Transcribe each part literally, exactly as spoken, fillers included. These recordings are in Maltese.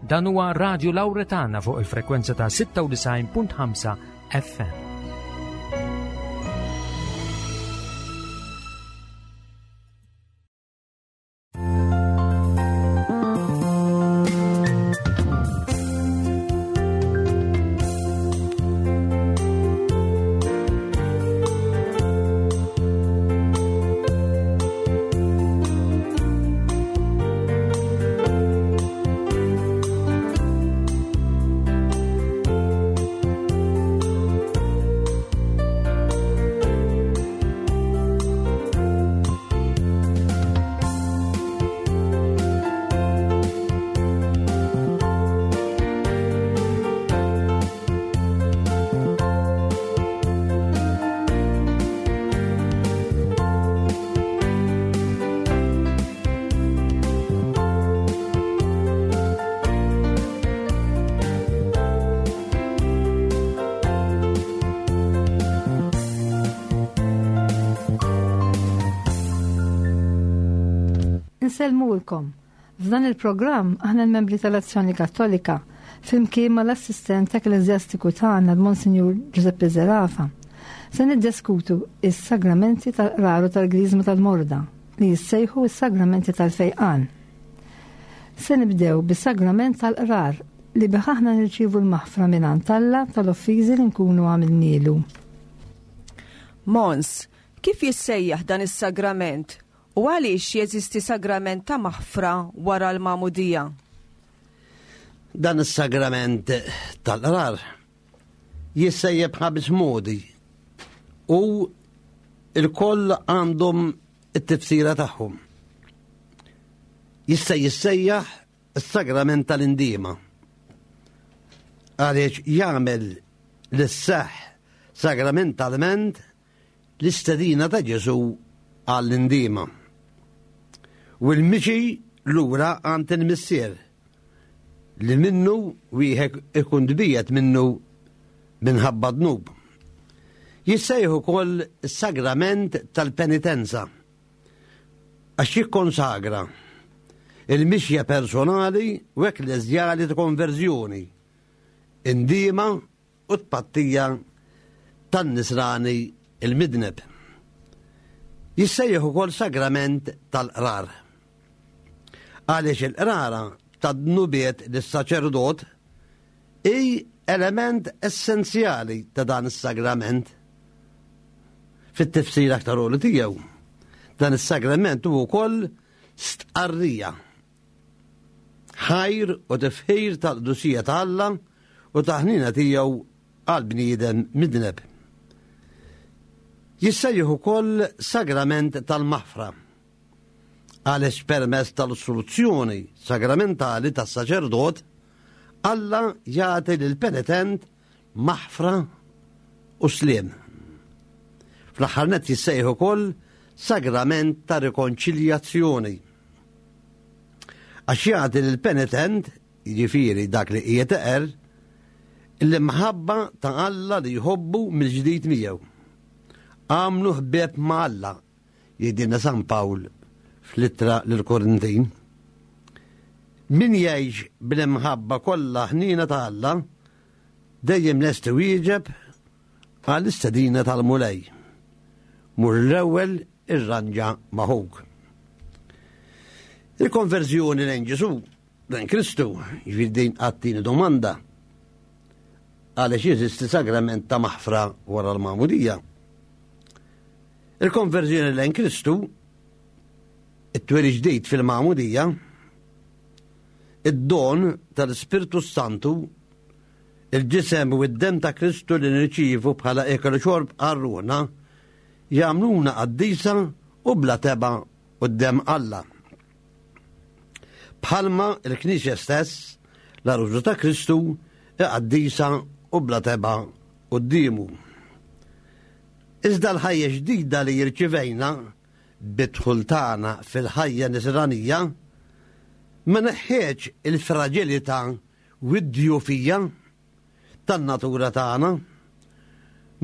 Dan huwa Radio Lauretana fuq il-frekwenza ta' sitta u disgħin punt ħamsa F M. Insellmulkom. F'dan il-programm aħna l-membri tal-Azzjoni Kattolika flimkien mal-assistent ekkleżjastiku tagħna l-Monsinjur Giuseppe Zerafa se niddiskutu is-sagramenti tal-qrar u tal-Griżma tal-Morda li jissejħu s-sagramenti tal-fejqan. Se nibdew bis-sagrament tal-qrar li bih aħna nirċievu l-maħfra mingħand Alla tal-offiżi li nkunu għamilnielu. Mons, kif jissejjaħ dan is-sagrament? U għaliex jeżisti sagrament ta' maħfra wara l-magħmudija? Dan is-sagrament tal-qrar jissejjaħ b'ħames modi u il-koll għandhom it-tifsira tagħhom. Jista' jissejjaħ is-sagrament tal-indiema għaliex jagħmel lis-seħħ sagramentalment l-istedina ta' Ġesù għall-indiema u l-mixi lura għand il-Missier li minnu wieħed ikun tbiegħed minnu minħabba dnub. Jissejħu ukoll is-sagrament tal-penitenza għax jikkonsagra il-mixja personali u ekkleżjali ta' konverżjoni, indiema u tpattija tan-nisrani il-midneb. Jissejjaħ ukoll sagrament tal-qrar. Għaliex il-qrara tad-dnubiet lis-saċerdot hi element essenzjali ta' dan is-sagrament. Fit-tifsir aktar għoli tiegħu, dan is-sagrament huwa wkoll stqarrija, ħajr u tifħir tal-qdusija ta' Alla u ta' ħnina tiegħu għal bniedem midneb. Jissejjaħ ukoll sagrament tal-maħfra għaliex permezz tal-soluzzjoni sagramentali tas-saċerdot Alla jagħti lill-penitent maħfra u sliem. Fl-aħħar nett jissejjaħ ukoll sagrament ta' rikonċiljazzjoni għax jagħti lill-penitent, jiġifieri dak li qiegħed eqer, l-imħabba ta' Alla li jħobbu mill-ġdid miegħu. Għamlu ħbieb ma' Alla, jgħidilna San Pawl fl-ittra lill-Korintin. Min jgħix bl-imħabba kollha ħnina ta' Alla, dejjem lest iwieġeb għall-istedina tal-Mulej. Mur l-ewwel irranġa ma' ħuk. Il-konverżjoni lejn Ġesù, lejn Kristu, jiġifieri din għattini domanda għaliex jeżisti sagrament ta' maħfra wara l-magħmudija. Il-konverżjoni lejn Kristu, it-twelid ġdid fil-magħmudija, id-don tal-Ispirtu Santu, il-ġisem u d-dem ta' Kristu li nirċievu bħala ikel u xorb għar-ruħna, jagħmluna qaddisa u bla tebgħa quddiem Alla. Bħalma l-Knisja stess, l-għarusa ta' Kristu, qaddisa u bla tebgħa quddiemu. Iżda l-ħajja ġdida li jirċivejna bidħul tagħna fil-ħajja nisranija ma neħħiex il-fragilità u d-djufija tan-natura tagħna,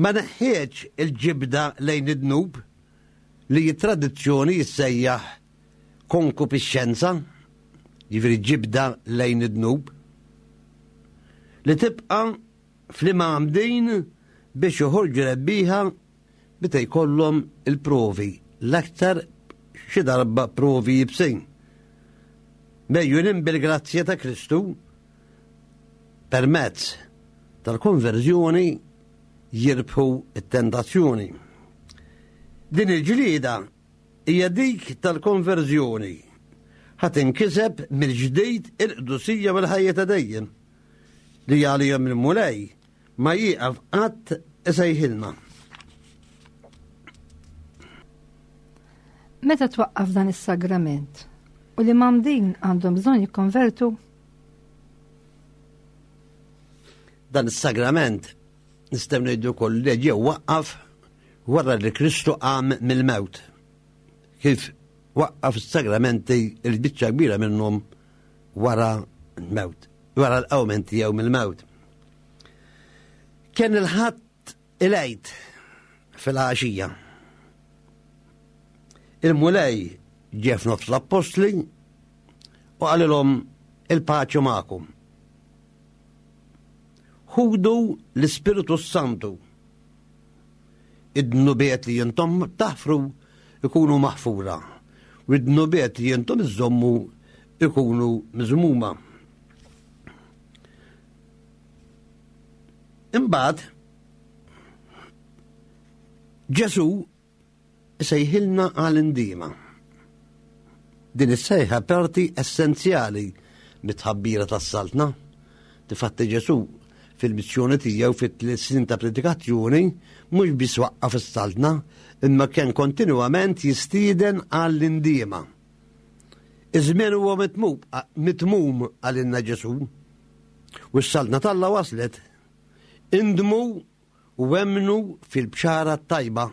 ma neħħiex il-ġibda lejn id-dnub li t-tradizzjoni jissejjaħ konkupixxenza, jiġifieri ġibda lejn id-dnub. li tibqa' fl-imgħammdin biex joħorġu rebbieħa meta jkollhom il-provi, l-aktar xi darba provi jibsin. Mejjunin bil-grazzja ta' Kristu permezz tal-konverżjoni jirbħu t-tentazzjoni. Din il-ġlieda hija dik tal-konverżjoni ħa tinkiseb mill-ġdid il-qdusija u l-ħajja ta' dejjem li għalihom il-Mulej ma jieqaf qatt isejħilna. Meta twaqqaf dan is-sagrament u li l-imgħammdin għandhom bżonn jikkonvertu? Dan is-sagrament nistgħu ngħidu wkoll li ġew waqqaf wara li Kristu qam mill-mewt. Kif waqqaf is-sagramenti il-biċċa kbira minnhom wara l-mewt, wara l-qawmen tiegħu mill-mewt. Kien il-Ħadd il-Għid fil-għaxija. Il-Mulej ġie f'nofs l-appostli u qalilhom il-paċi magħkom. Ħudu l-Ispiritu Santu. Id-dnubiet li jintom taħfru ikunu maħfura, u id-dnubiet li jintom iżommu ikunu miżmuma. Imbagħad Ġesù sejħilna għal indiema. Din is-sejħa parti essenzjali mit-tħabbira tas-saltna. Difatti Ġesù fil-missjoni tiegħu fit-tliet snin ta' predikazzjoni mhux biss waqqaf is-saltna, imma kien kontinwament jistieden għall-indiema. Iż-żmien huwa mitmum għalinna Ġesù u s-saltna t'Alla waslet. Indmu u emmnu fil-bxara tajba.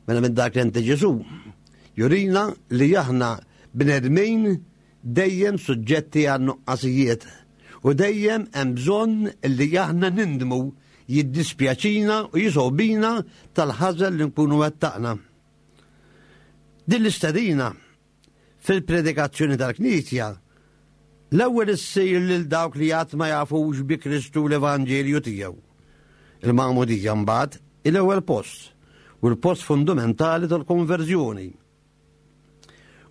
Mela minn dak li Ġesù jurina li aħna bnedmin dejjem suġġetti għan nuqqasijiet u dejjem hemm bżonn li aħna nindmu, jiddispjaċina u jisobina tal-ħażen li nkunu wettaqna. Din l-istedina fil-predikazzjoni tal-Knisja l-ewwel issir lil dawk li qatt ma jafux bi Kristu l-Evanġelju tiegħu. Il-magħmudija mbagħad il-ewwel post u l-post fundamentali tal-konverżjoni.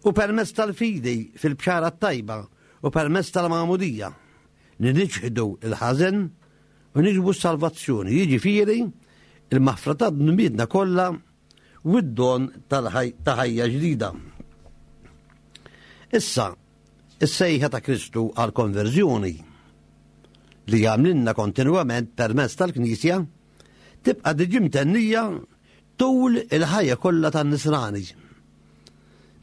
U permezz tal-fidi fil-bxara tajba u permezz tal-magħmudija li niċħdu il-ħażen u niġbu s-salvazzjoni, jiġifieri il-maħfra ta' dnubietna kollha u d-don ta' ħajja ġdida. Issa, is-sejħa ta' Kristu għal-konverżjoni li jagħmlilna kontinwament permezz tal-Knisja tibqa' diġi mtennija tul il-ħajja kollha tan-nisrani.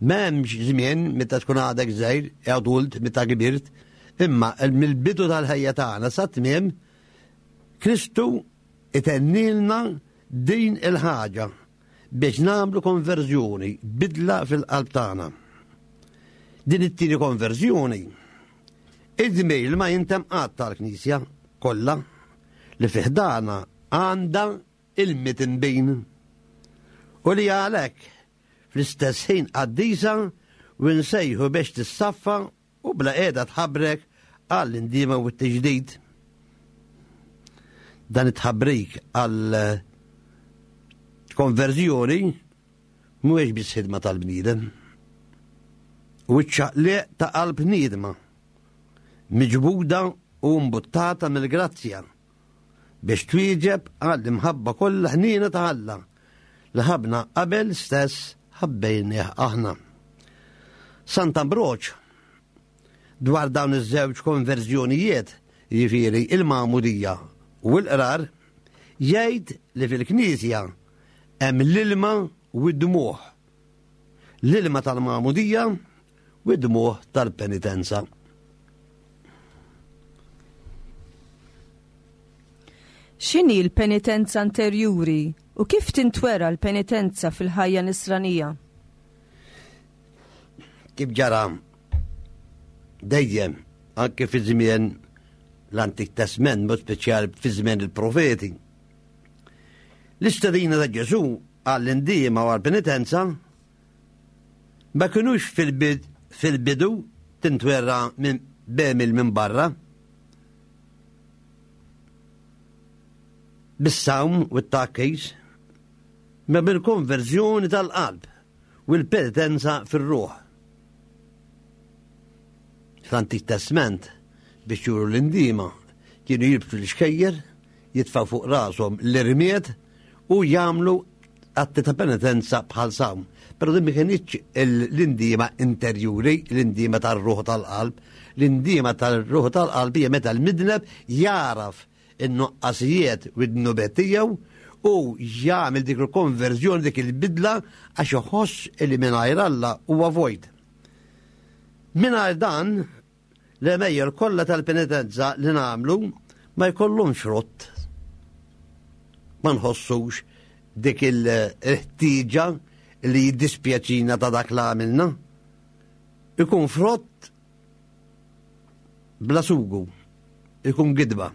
M'hemmx żmien meta tkun għadek żgħir, adult, meta kbirt, imma mill-bidu tal-ħajja tagħna sa tmiem Kristu itennilna din il-ħaġa biex nagħmlu konverżjoni, bidla fil-qalb tagħna. Din it-tieni konverżjoni id-dmir ma jintem qatt tal-Knisja kollha li fiħdana għandha il-mitinbin u li għalhekk fl-istess ħin qaddisa u nsejħu biex tissaffa u bla qiegħda tħabrek għall-indiema u t-tiġdid. Dan it-tħabrik għal konverżjoni mhuwiex biss ħidma tal-bniedem. U ċ-ċaqliq ta' qalb niedma, miġbuda u mbuttata mill-grazzja biex twieġeb għall-imħabba kollha ħniena ta' Alla li ħabna qabel stess ħabbejnieh aħna. Sant'Ambroġ dwar dawn iż-żewġ konverżjonijiet, jiġifieri il-magħmudija u l-qrar, jgħid li fil-Knisja hemm l-ilma u d-dmuħ. L-ilma tal-magħmudija u d-dmuħ tal-penitenza. X'inhi l-penitenza anterjuri u kif tintwera l-penitenza fil-ħajja nisranija? Kif ġara dejjem anke fi żmien l-Antik Testament, mod speċjali fi żmien il-profeti. L-istedina ta' Ġesù għall-indiema u għall-penitenza ma kinux fil-bidu tintwera minn bemil minn barra. bis-sawm u t-takkis, ma bil-konverżjoni tal-qalb u l-penitenza fir-ruħ. Fl-Antik Testament, biex juru l-indima, kienu jilbsu l-xkejjer, jitfaw fuq rashom l-irmied u jagħmlu atti ta' penitenza bħal sawm. Però din ma kienitx l-indima interjuri, l-indima tar-ruħ tal-qalb. L-indima tal-ruħ tal-qalb hija meta l-midneb jaraf in-nuqqasijiet u d-dnubiet tiegħu u jagħmel dik il-konverżjoni, dik il-bidla, għax iħoss li mingħajr Alla huwa vojt. Mingħajr dan, l-għemejjel kollha tal-penitenza li nagħmlu ma jkollhomx frott. Ma nħossux dik il-ħtieġa li jiddispjaċina ta' dak li għamilna. Ikun frott bla sugu, ikun gidba.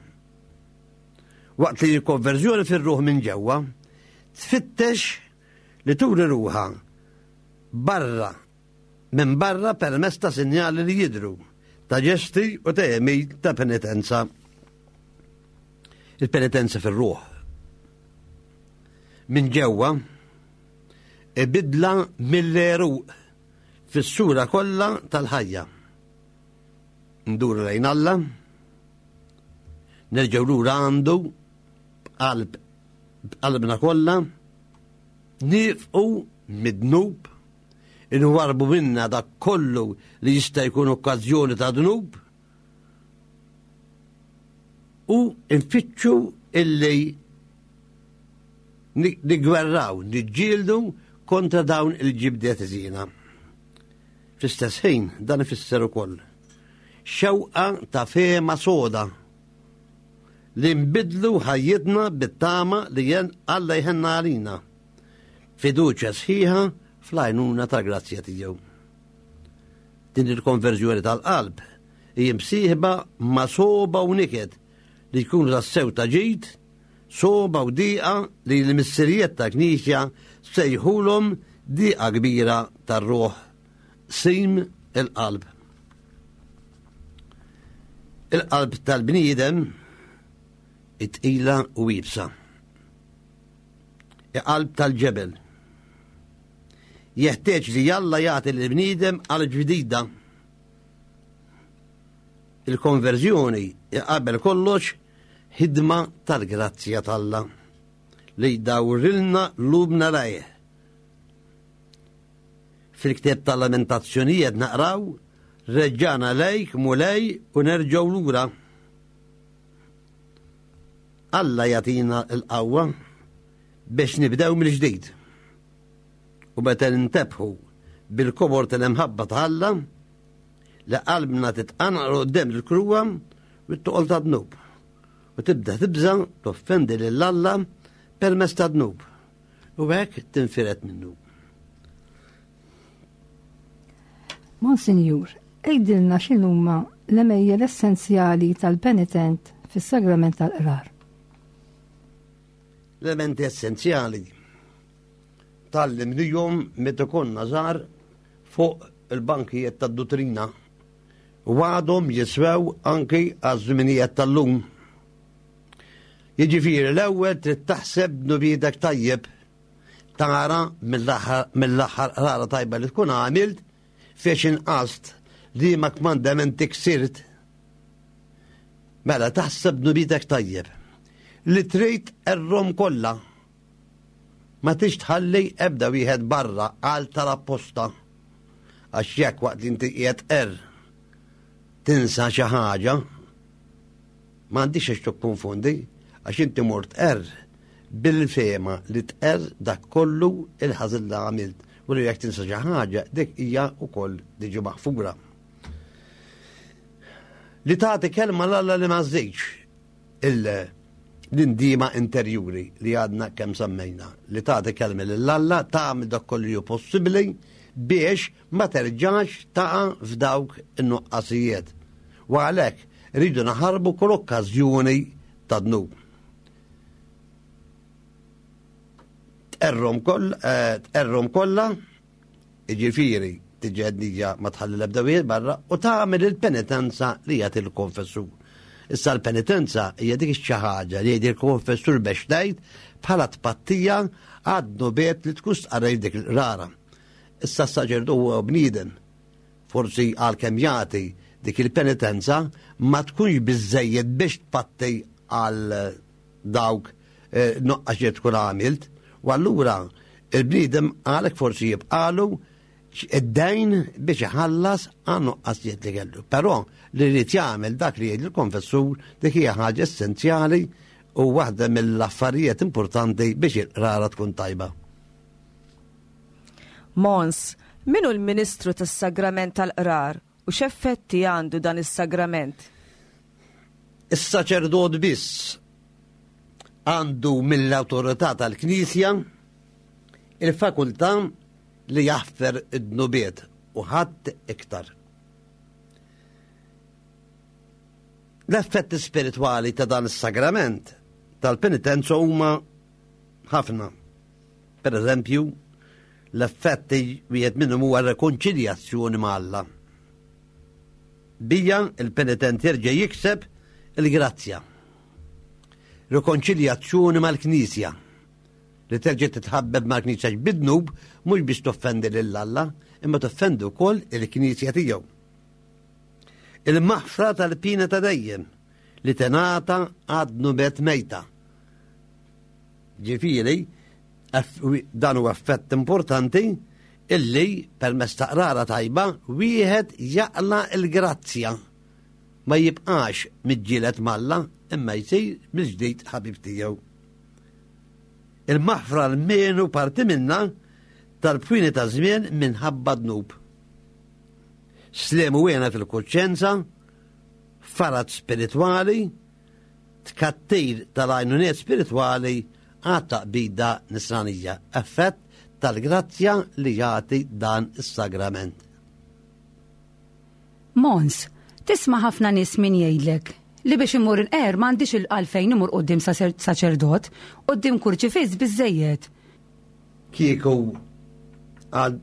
Waqt li l-konverżjoni fir-ruħ minn ġewwa tfittex li turi ruħha barra, minn barra permezz ta' sinjali li jidru, ta' ġesti u ta' għemil ta' penitenza. Il-penitenza fir-ruħ minn ġewwa ibidla mill-għeruq fis-sura kollha tal-ħajja. Nduru lejn Alla, nerġgħu lura għandu b'qalb b'qalbna kollha, nifqu mid-dnub, inwarbu minna dak kollu li jista' jkun okkażjoni ta' dnub, u nfittxu illi nigwerraw, niġġieldu kontra dawn il-ġibdiet żiena. Fl-istess ħin dan ifisser ukoll xewqa ta' fehma soda li nbidlu ħajjitna bit-tama li jen Alla jħenna għalina, fiduċja sħiħa fl-għajnuna tal-grazzja tiegħu. Din il-konverżjoni tal-qalb hi msieħba ma' soba u niket li jkunu tassew ta' ġid, soba u diqa li l-missirijiet ta' Knisja sejħulhom diqa kbira tar-ruħ, sim il-qalb. Il-qalb tal-bniedem it-tqila u iebsa. Il-qalb tal-ġebel. Jeħtieġ li Alla jagħti lill-bniedem qalb ġdida. Il-konverżjoni qabel kollox ħidma tal-grazzja t'Alla li jdawrilna lubna lejh. Fil-ktieb tal-Lamentazzjonijiet naqraw: reġġana lejk Mulej u nerġgħu lura. Alla jagħtina l-qawwa biex nibdew mill-ġdid. U meta nintebħu bil-kobor tal-imħabba ta' Alla, li qalbna titqanqal quddiem il-kruha u t-toqol ta' dnub. U tibda tibża toffendi lil Alla permezz ta' dnub. U hekk tinfiret minnu. Monsinjur, għidilna x'inhuma l-għemejjel essenzjali tal-penitent fis-sagrament tal-qrar. L-elementi essenzjali tal-limnijom meta konna żgħar fuq il-bankijiet tad-duttrina u għadhom jiswew anki għaż-żminijiet tal-lum. Jiġifieri l-ewwel trid taħseb dnubiedek tajjeb, tara mill-aħħar qrara tajba li tkun għamilt fiex inqast li ma kmandamenti ksirt. Mela taħseb dnubiedek tajjeb li trid errom kollha. Ma tix tħalli ebda wieħed barra għal tal-apposta. Għax jekk waqt li inti qiegħed er tinsa xi ħaġa, m'għandix għax tikkonfondi, għax inti mort er bil-fehma li tqer dak kollu il-ħażin li għamilt. U li jekk tinsa xi ħaġa, dik hija wkoll diġi maħfura. Li tagħti kelma 'l Alla li ma żżidx l-indima interjuri li għadna kemm semmejna, li tagħti kelma lil Alla, tagħmel dak kollu li hu possibbli biex ma terġax taqa' f'dawk in-nuqqasijiet. U għalhekk rridu naħarbu kull okkażjoni ta' dnub. Tqerrom koll-, eh, tqerrom kollha, jiġifieri tiġi għednija ma tħalli l-ebda wieħed barra u tagħmel il-penitenza li jagħti l-konfessur. Issa l-penitenza hija dik xi ħaġa li jgħid il-konfessur biex tgħid bħala tpattija għad-dnubiet li tkun stqarrejt dik il-qrara. Issa s-saċerdot huwa bniedem. Forsi għalkemm jagħti dik il-penitenza ma tkunx biżejjed biex tpatti għal dawk eh, nuqqas li tkun għamilt. U allura il-bniedem għalek forsi jibqalu id-dejn biex iħallas għan nuqqasijiet li kellu. Però li rrid jagħmel dak li jgħid il-konfessur, dik hija ħaġa essenzjali u waħda mill-affarijiet importanti biex il-qrara tkun tajba. Mons, min hu l-Ministru tas-Sagrament tal-Qrar u x'effetti għandu dan is-sagrament? Is-saċerdot biss għandu mill-awtorità tal-Knisja il-fakultà li jaħfer id-dnubiet u ħadd iktar. L-effetti spiritwali ta' dan is-sagrament tal-penitenza huma ħafna. Per eżempju, l-effetti wieħed minnhom huwa rekonċiljazzjoni ma' Alla. Bija il-penitent jerġa' jikseb il-grazzja. Rekonċiljazzjoni mal-Knisja li terġa' titħabbeb mal-Knisja bid-dnub mhux biex toffendi lil Alla, imma toffendi wkoll il-Knisja tiegħu. Il-maħfra tal-pina ta' dejjem li tingħata għad-dnubiet mejta. Ġifieri, dan huwa effett importanti illi permezz ta' qrara tajba wieħed jaqla l-grazzja, ma jibqax miġġieled m'Alla imma jsir mill-ġdid ħabib tiegħu. Il-maħfra l-menu parti minna tal-bwini ta' żmien minħabba dnub. Slemu wena fil-kuxjenza, farat spiritwali, tkattir tal-għajnuniet spiritwali għat taqbida nisranija, effett tal-grazzja li jagħti dan is-sagrament. Mons, tisma' ħafna nies min jgħidlek li biex imur il-qer m'għandix il-għalfejn imur quddiem saċerdot, quddiem kurċifiss biżejjed. Kieku għal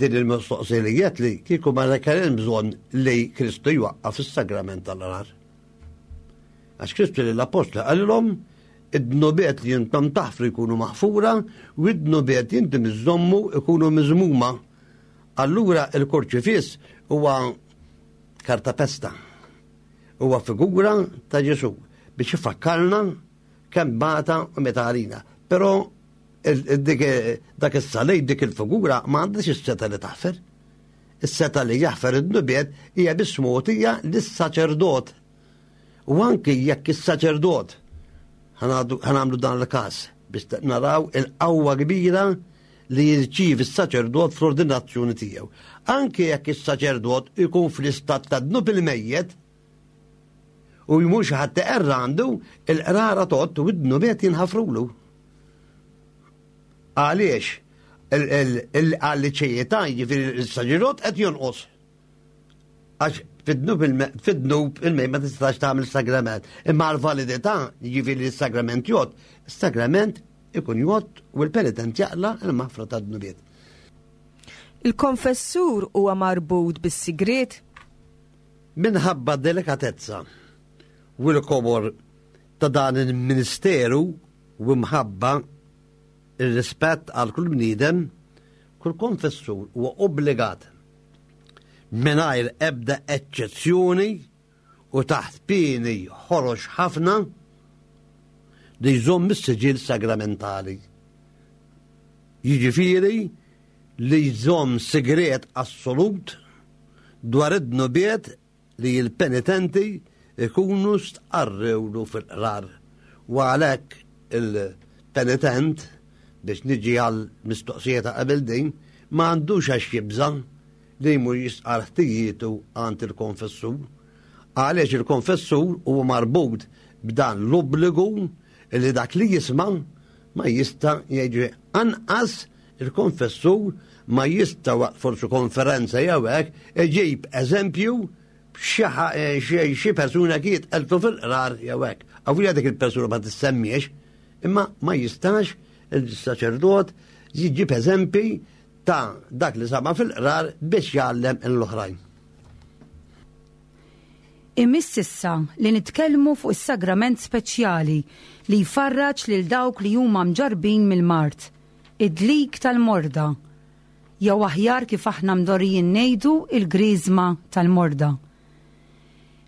din il-mistoqsija li jgħid li kieku ma kellem bżonn li Kristu jwaqqaf is-sagrament tal-qrar. Għax Kristu lill-apostli qalilhom id-dnubiet li jintom taħfru jkunu maħfura u id-dnubiet jintom iżommu jkunu miżmuma. Allura il-kurċifiss huwa kartapesta. Huwa figura ta' Ġesu biex ifakkarna kemm bata u meta għalina. Però dak is-salib, dik il-figura ma għandix is-seta li taħfer. Is-seta li jaħfer id-dnubiet hija biss mogħtija lis-saċerdot. U anki jekk is-saċerdot ħanamlu dan il-każ biex naraw il-qawwa kbira li jirċievi s-saċerdot fl-ordinazzjoni tiegħu. Anki jekk is-saċerdot ikun fl-istat ta' dnub il-mejjet u jmur xi ħadd iqerra għandu, il-qrara tgħodd u d-dnubiet jinħafrulu. Għaliex? Għal-liċejieta, jiġifieri s-saċerdot qed jonqos. Għax fid-dnub fid-dnub il-mejt ma tistax tagħmel sagrament. Imma għal-validità, jiġifieri s-sagrament jgħodd, is-sagrament ikun jgħodd u l-penitent jaqla l-maħfra tad-dnubiet. Il-konfessur huwa marbut bis-sigriet? Minħabba delikatezza u l-kobor ta' dan il-ministeru u mħabba il-rispett għal kull bniedem, kull konfessur huwa obbligat mingħajr ebda eċċezzjoni u taħt pieni ħorox ħafna li jżomm is-siġill sagramentali. Jiġifieri li jżomm sigriet assolut dwar id-dnubiet li l-penitenti ikunu stqarrewlu fil-qrar. U għalhekk il-penitent, biex niġi għal mistoqsija ta' qabel din, ma għandux għax jibża' li jmur jistqarr ħtijietu għand il-konfessur. Għaliex il-konfessur huwa marbut b'dan l-obbligu li dak li jisma' ma jista' jgħid anqas il-konfessur ma jista' waqt forsi konferenza jew hekk iġib eżempju xi persuna kiet qeltu fil-qrar jew hekk. Avolja dik il-persuna ma tissemmiex, imma ma jistax il-saċerdot jiġib eżempi ta' dak li sama fil-qrar biex jgħallem l-oħrajn. Imiss issa li nitkellmu fuq is-sagrament speċjali li jfarraġ lil dawk li huma mġarbin mill-mard, id-dlik tal-morda, jew aħjar kif aħna mdorrijin ngħidu il-griżma tal-morda.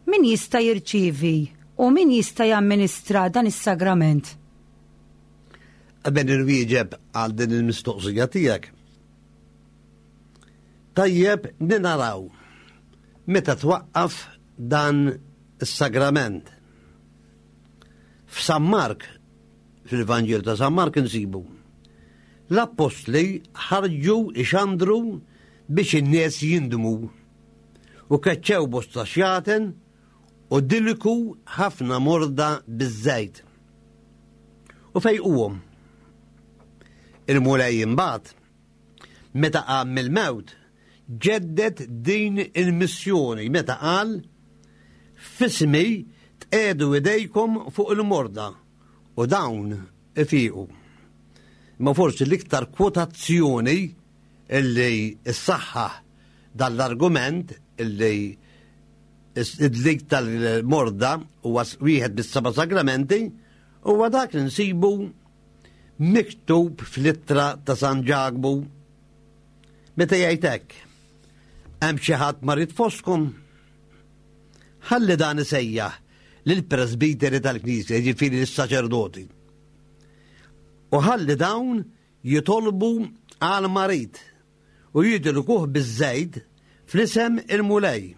Min jista' jirċievi u min jista' jamministra dan is-sagrament? Qabel inwieġeb għal din il-mistoqsija tiegħek. Tajjeb naraw meta twaqqaf dan is-sagrament. F'San Mark, fil-Vanġelu ta' San Mark insibu, l-appostli ħarġu ixandru biex in-nies jindmu u keċċew bosta xjaten u dilku ħafna morda biż-żejt. U fejquhom. Il-Mulej imbagħad, meta qam mill-mewt, ġeddet din il-missjoni meta qal f'ismi tqiegħdu idejkom fuq il-morda u dawn ifiqu. Ma forsi l-iktar kwotazzjoni illi s-saħħa dal-argument illi id-dlik tal-morda huwa wieħed bis-seba' sagramenti huwa dak li nsibu miktub fl-ittra ta' San Ġakbu. Meta jgħid hekk, hemm xi ħadd marid fostkom? Ħalli dan isejjaħ lill-presbiteri tal-Knisja, jiġifieri lis-saċerdoti. U ħalli dawn jitolbu għal marid u jidilkuh biż-żejt fl-isem il-Mulej.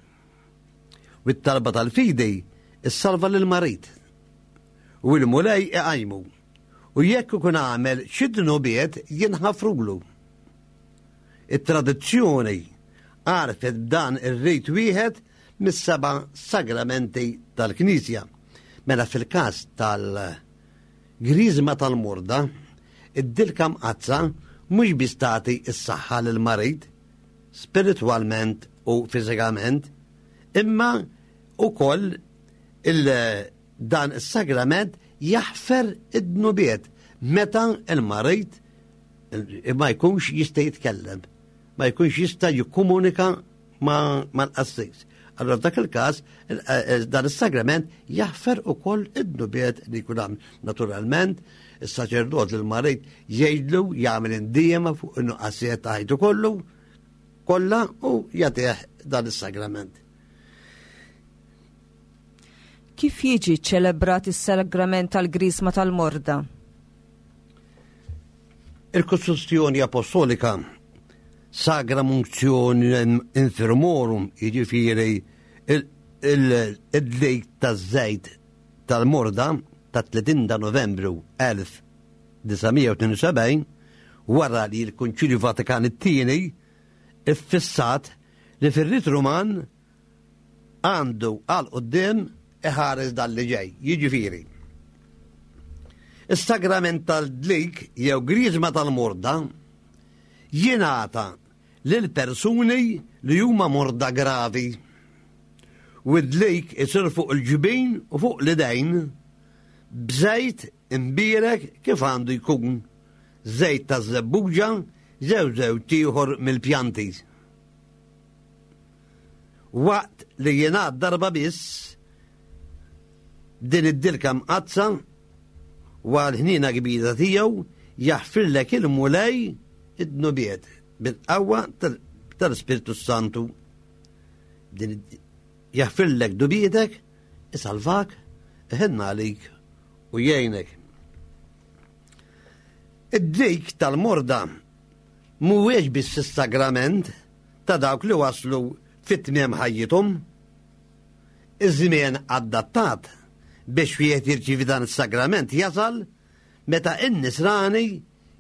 U t-talba tal-fidi issalva lill-marid. U l-Mulej iqajmu. U jekk ikun għamel xi dnubiet jinħafrulu. It-tradizzjoni għarfet b'dan ir-rit wieħed mis-seba' sagramenti tal-Knisja. Mela fil-każ tal-griżma tal-morda, id-dilka mqaddsa mhux biss tagħti s-saħħa lill-marid spiritwalment u fiżikament, imma ukoll dan is-sagrament jaħfer id-dnubiet meta l-marid ma jkunx jista' jitkellem, ma jkunx jista' jikkomunika mal-qassis. Allora f'dak il-każ dan is-sagrament jaħfer ukoll id-dnubiet li jkun hemm. Naturalment, is-saċerdot lil marid jgħidlu jagħmel indiema fuq in-nuqqasijiet ta' ħajtu kollu kollha u jagħtih dan is-sagrament. Kif jiġi ċelebrat is-sagrament tal-Griżma tal-Morda? Il-Kostituzzjoni Apostolika Sacram Unctionem Infirmorum, jiġifieri id-dlik taż-żejt tal-morda ta' tletin ta' Novembru elf disa' mija u tnejn u sebgħin, wara li l-Konċilju Vatikan it-tieni iffissat li fir-rit Ruman għandu għal quddiem iħares dan li ġej, jiġifieri is-sagrament tal-dlik jew griżma tal-morda jingħata lil persuni li huma morda gravi. U d-dlik isir fuq il-ġbin u fuq l-idejn b'żejt imbierek kif għandu jkun, żejt ta' żebbuġa jew żewġ ieħor mill-pjanti. Waqt li jingħad darba biss din id-dilka mqaddsa u għal ħniena kbira tiegħu jaħfirlek il-Mulej id-dnubiet bil-qawwa tal-Spiritu Santu. Din jaħfirlek dubietek, isalvak, iħenna għalik u jgħinek. Id-dlik tal-morda mhuwiex biss is-sagrament ta' dawk li waslu fit-tmiem ħajjithom. Iż-żmien adattat biex wieħed jirċievi dan is-sagrament jasal meta n-nisrani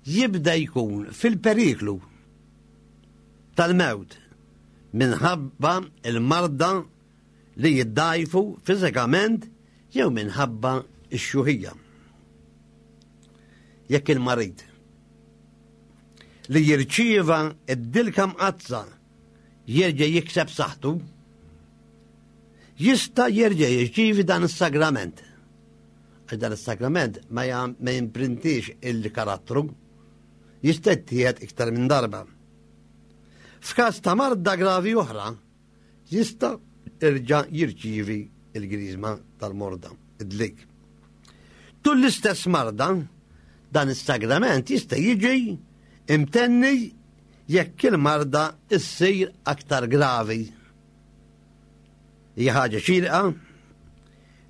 jibda jkun fil-periklu tal-mewt minħabba il-marda li jiddajfu fiżikament jew minħabba x-xjuħija. Jekk il-marid li jirċieva id-dilka mqaddsa jerġa' jikseb saħħtu, jista' jerġa' jirċievi dan is-sagrament. Għax dan is-sagrament ma jam-, ma jimprintix il-karattru, jista' jittieħed iktar minn darba. F'każ ta' marda gravi oħra, jista' jerġa' jirċievi il-griżma tal-morda, id-dlik. Tul l-istess marda, dan is-sagrament jista' jiġi imtenni jekk il-marda issir aktar gravi. Hija ħaġa xierqa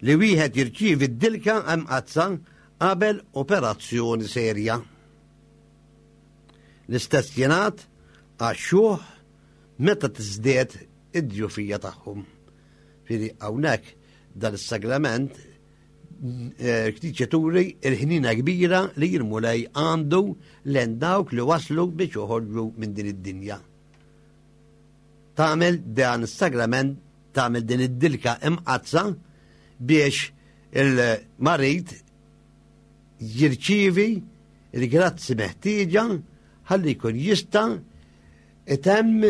li wieħed jirċievi d-dilka mqaddsa qabel operazzjoni serja. L-istess jingħad għax-xjuħ meta tiżdied id-djufija tagħhom. Jiġifieri hawnhekk dan is-sagrament ktiċa turi il-ħnina kbira li l-Mulej għandu lejn dawk li waslu biex joħorġu minn din id-dinja. Tagħmel dan is-sagrament, tagħmel din id-dilka imqaddsa biex il-marid jirċievi il-grazzi meħtieġa ħalli jkun jista' itemm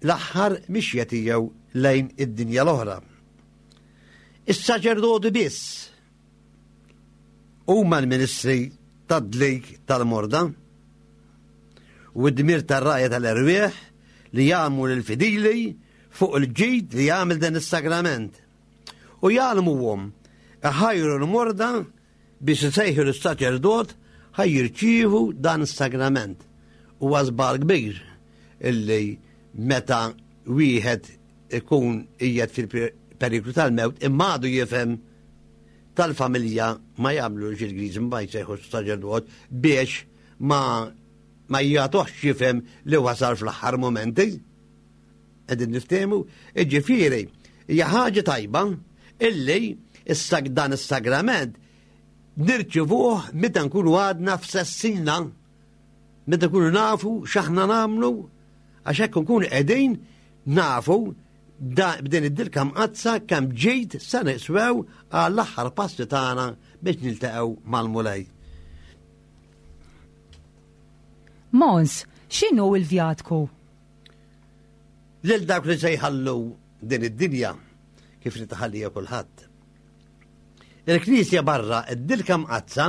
l-aħħar mixja tiegħu lejn id-dinja l-oħra. Is-saċerdoti biss huma l-ministri tad-dlik tal-morda u d-dmir tar-rgħajja tal-erwieħ li jgħallmu lill-fidili fuq il-ġid li jagħmel dan is-sagrament. U jgħallmuhom iħajru l-morda biex isejħu l-saċerdot ħa jirċievu dan is-sagrament. Huwa żball kbir illi meta wieħed ikun qiegħed fil-periklu tal-mewt imma għadu jifhem tal-familja ma jagħmlux il-griżma ma jsejħu saċerdot biex ma ma jagħtuhx jifhem li wasal fl-aħħar momenti. Qegħdin niftehmu, jiġifieri hija ħaġa tajba illi issa dan is-sagrament nirċivuh meta nkunu għadna f'sensina, meta nkunu nafu x'aħna nagħmlu, għax hekk nkunu qegħdin nafu b'din id-dilka mqaddsa kemm ġejt sa niswew għall-aħħar passi tagħna biex niltaqgħu mal-Mulej. Mons, x'inhu l-vjatku? Lil dawk li se jħallu din id-dinja kif li taħallija kulħadd. Il-Knisja barra id-dilka mqaddsa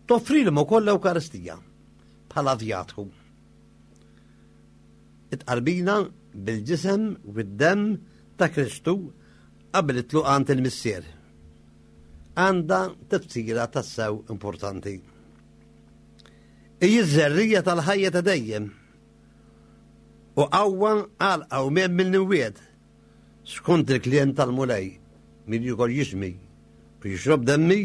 toffrilhom ukoll l-Ewkaristija bħala vjatku. It-tqarbina bil-ġisem u d-demm ta' Kristu qabel it-tluq għand il-Missier. Għandha tifsira tassew importanti. Hija ż-żerriegħa tal-ħajja ta' dejjem u qawwa għal qawmien mill-imwiet skont il-kliem tal-Mulej min jiekol ġismi u jixrob demmi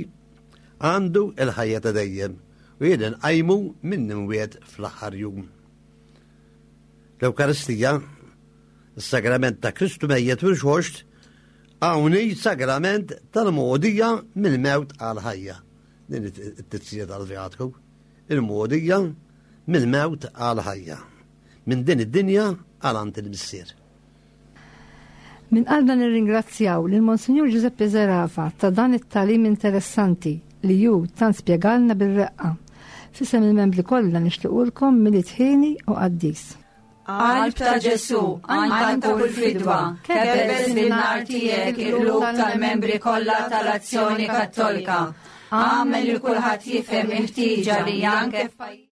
għandu il-ħajja ta' dejjem u jien nqajmu mill-imwiet fl-aħħar jum. L-Ewkaristija, is-sagrament ta' Kristu mejjet u rxoxt, hawn sagrament tal-mogħdija mill-mewt għal-ħajja. Din it-tifsira tal-vjatku. Il-mogħdija mill-mewt għal-ħajja. Minn din id-dinja għal għand il-Missier. Minn qalbna nirringrazzjaw lil Monsinjur Giuseppe Zerafa ta' dan it-tagħlim interessanti li hu tant spjegalna bir-reqqa. F'isem il-membri kollha nixtiequlkom Milied ħieni u qaddis. Qalb ta' Ġesu, għan ta' kull fidwa, kebbes bin-nar tiegħek il-qlub tal-membri kollha tal-Azzjoni Kattolika. Agħmel li kulħadd jifhem il-ħtieġa li anke f'pajjiż